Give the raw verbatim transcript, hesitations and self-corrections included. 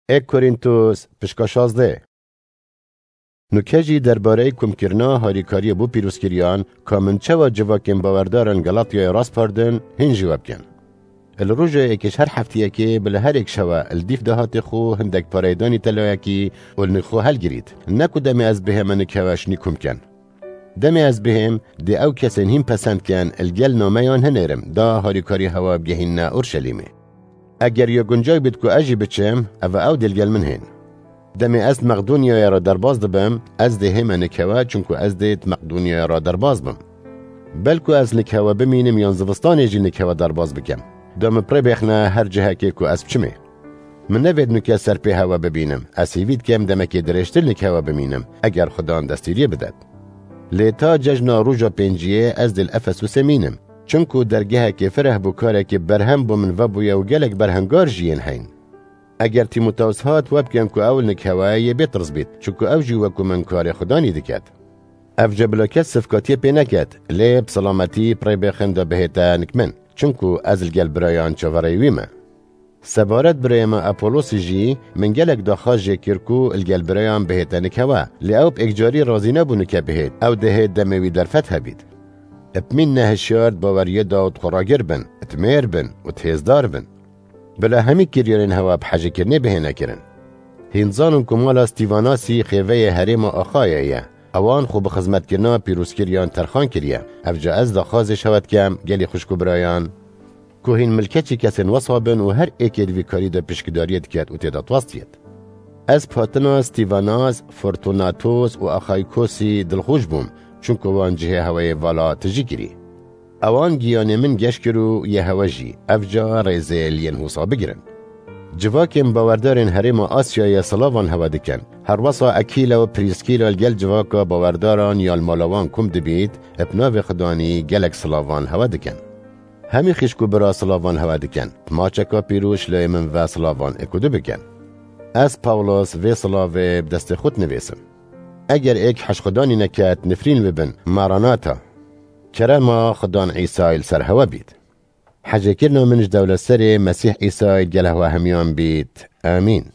Ê Korintos, pişka şazdeh. Nuke jî derbareyê komkirina harîkariyê bo pîrozkiriyan, ka min çawa civakên bawerdaran Galatyayê raspardin, hîn jî we bikin. Li roja êkê ji her heftiyekê bila her êk şewe li dîf de hatê xwe hindek pareyê danî telayekî û li nî xwe helgirît. Ne ku demê ez bihême nikewe şinî kom ken. Demê ez bihêm, dê ew kesên hîn pesend ken, li gel nameyan hinêrim, da harîkarî hewa bigehînne Orşelîmê. Eger ya guncay bît ku ez jî biçim, ev ew dê li gel min hên. Demê ez Meqdonyaya re derbas dibim, ez dê hême nikewe, çunku ez dê di Meqdonyaya re derbas bim. Belku ez nikewe bimînim yan zivistanê jî nikewe derbas bikim. Da min bi rê bêxne her cihekê ku ez biçimê. Min nevêt nuke ser pê hewe bibînim. Ez hîvî dikim demekê dirêjtir nikewe bimînim, eger Xudan destîriyê bidet. Lê ta cejna roja pênciyê ez dê li Efesûsê mînim. Çunku dergehekê fireh bû, karekê berhem bo min vebûye û gelek berhengar jî yên heyn. Eger Tîmoteus hat, we bikin ku ew li nikewe yê bê tirs bît, çunku ew jî wekû min karê Xudanî diket. Ev jî bila kes sifkatiyê pê neket, lê bi silametî bi rê bêxin da bihête nik min, çunku ez li gel birayan çaverêyî wî me. Sebaret birayê me Apolosî jî min gelek daxwaz jê kir ku li gel birayan bihête nikewe, lê ew bi êkcarî razî nebû nike bihêt, ew dihêt demê wî derfet hebît. Bi mîn ne hişyar di baweriyê de û di xwe ragir bin, di mêr bin û di hêzdar bin. Bila hemî kiryarên hewa bi hejêkirinê bihêne kirin. Hîn zanin ku mala Stîvanasî xêveyê herêma Axayê ye. Ewan xwe bi xizmetkirina pîrozkiriyan terxan kiriye. Ev ca ez daxwazê ji hewe dikem, gelî xwişk û birayan, ku hîn milkeçî kesên wesa bin û her êkê di vî karî de pişkdariyê diket û tê de twastiyêt. Ez bi hatina Stîvanas, Fortunatos û Axaykosî dilxweş bûm, çunku wan cihê hewayê vala tijî kirî. Ewan giyanê min geş kir û yê hewe jî, ev ca rêzê li yên hûsa bigirin. Civakên bawerdarên herêma Asyayê silavan hewe dikin. Her wesa Ekîla û Prîskîla li gel civaka bawerdaran ya li mala wan kom dibît, bi navê Xudanî gelek silavan hewe dikin. Hemî xişk û bira silavan hewe dikin. Maçeka pîroz ji layê min ve silavan êk û du bikin. Ez Pawlos vê silavê bi destê xwe dinivîsim. Eger êk hej Xudanî neket, nifrîn bibin. Maranata. Kerema Xudan Îsayê li ser hewe bît. Hecêkirina min ji dewlet serê Mesîh Îsayê gel hewe hemiyan bît. Amîn.